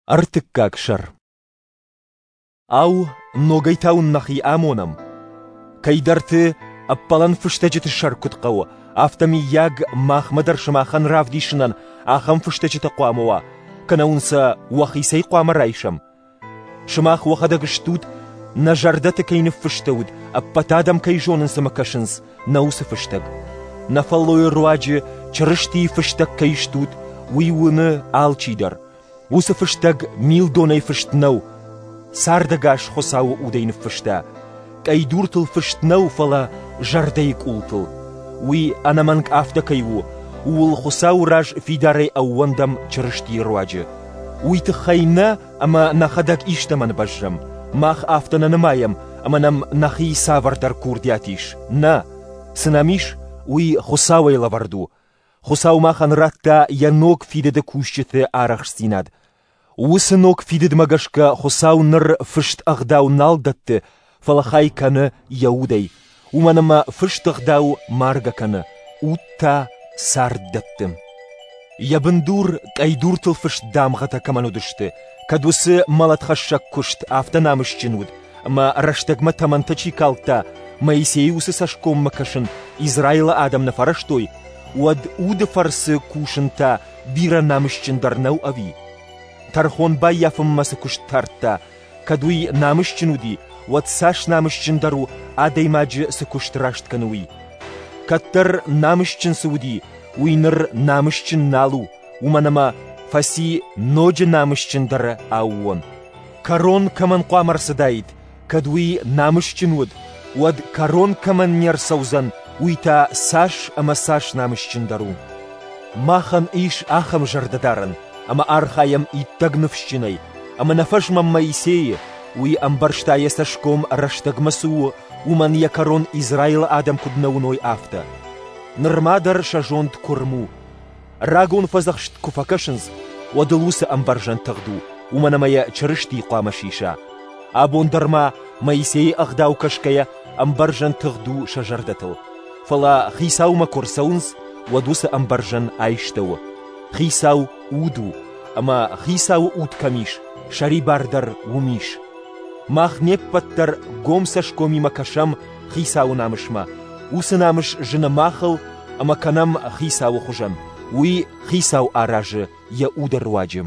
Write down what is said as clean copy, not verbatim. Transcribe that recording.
Ӕртыккаг сӕр. Ау, ногӕй та уын нӕхи амонӕм? Кӕйдӕрты ӕппӕлӕн фыстӕджыты сӕр куыд хъӕуы, афтӕ мыййаг махмӕ дӕр сымахӕн равдисынӕн ахӕм фыстӕджытӕ хъуамӕ уа, кӕнӕ уын сӕ уӕхицӕй хъуамӕ райсӕм? Сымах уӕхӕдӕг стут, нӕ зӕрдӕты кӕй ныффыстӕуыд, ӕппӕт адӕм кӕй зонынц ӕмӕ кӕсынц, нӕ уыцы фыстӕг. Нӕ фӕллойы руаджы Чырыстийы фыстӕг кӕй стут, уый уыны алчидӕр. Уыцы фыстӕг милдонӕй фыст нӕу, цардӕгас Хуыцауы удӕй ныффыста. Къӕйдуртыл фыст нӕу, фӕлӕ зӕрдӕйы къултыл. Уый ӕнӕмӕнг афтӕ кӕй у, ууыл Хуыцауы раз фидарӕй ӕууӕндӕм Чырыстийы руаджы. Уый тыххӕй нӕ ӕмӕ нӕхӕдӕг истӕмӕн бӕззӕм. Мах афтӕ нӕ нымайӕм, ӕмӕ нӕм нӕхи цавӕрдӕр курдиат ис. Нӕ, цы нӕм ис, уый Хуыцауӕй лӕвӕрд у. Хуыцау махӕн радта йӕ ног фидыды кусджыты арӕхстдзинад. Уыцы ног фидыдмӕ гӕсгӕ Хуыцау ныр фыст ӕгъдау нал дӕтты, фӕлӕ хай кӕны йӕ удӕй, уымӕн ӕмӕ фыст ӕгъдау маргӕ кӕны, уд та цард дӕтты. Йӕ бындур къӕйдуртыл фыст дамгъӕтӕ кӕмӕн уыдысты, кӕд уыцы мӕлӕтхӕссӕг куыст афтӕ намысджын уыд, ӕмӕ рӕстӕгмӕ тӕмӕнтӕ чи калдта, Моисейы уыцы цӕсгоммӕ кӕсын Израилы адӕм нӕ фӕрӕзтой, уӕд уды фӕрцы кусын та бирӕ намысджындӕр нӕу ӕви? Тӕрхон баййафынмӕ цы куыст тардта, кӕд уый намысджын уыди, уӕд цас намысджындӕр у, адӕймаджы цы куыст раст кӕны, уый? Кӕддӕр намысджын цы уыди, уый ныр намысджын нал у, уымӕн ӕмӕ фӕци ноджы намысджындӕры аууон. Кӕрон кӕмӕн хъуамӕ рцыдаид, кӕд уый намысджын уыд, уӕд кӕрон кӕмӕн не рцӕудзӕн, уый та цас ӕмӕ цас намысджындӕр у. Махӕн ис ахӕм зӕрдӕдарӕн, ӕмӕ архайӕм иттӕг ныфсджынӕй, ӕмӕ нӕ фӕзмӕм Моисейы, уый ӕмбӕрста йӕ цӕсгом рӕстӕгмӕ цы у, уымӕн йӕ кӕрон Израилы адӕм куыд нӕ уыной, афтӕ. Нырма дӕр сӕ зонд куырм у. Рагон фӕдзӕхст куы фӕкӕсынц, уӕд ыл уыцы ӕмбӕрзӕн тыгъд у, уымӕн ӕмӕ йӕ Чырысти хъуамӕ сиса. Абон дӕр ма Моисейы ӕгъдау кӕсгӕйӕ ӕмбӕрзӕн тыгъд у сӕ зӕрдӕтыл. Фӕлӕ Хицаумӕ куы рцӕуынц, уӕд уыцы ӕмбӕрзӕн айстӕуы. Хицау уд у, ӕмӕ Хицауы уд кӕм ис, сӕрибар дӕр уым ис. Мах не ппӕт дӕр гом цӕсгомимӕ кӕсӕм Хицауы намысмӕ. Уыцы намыс зыны махыл ӕмӕ кӕнӕм Хицауы хуызӕн. Уый Хицау аразы йӕ уды руаджы.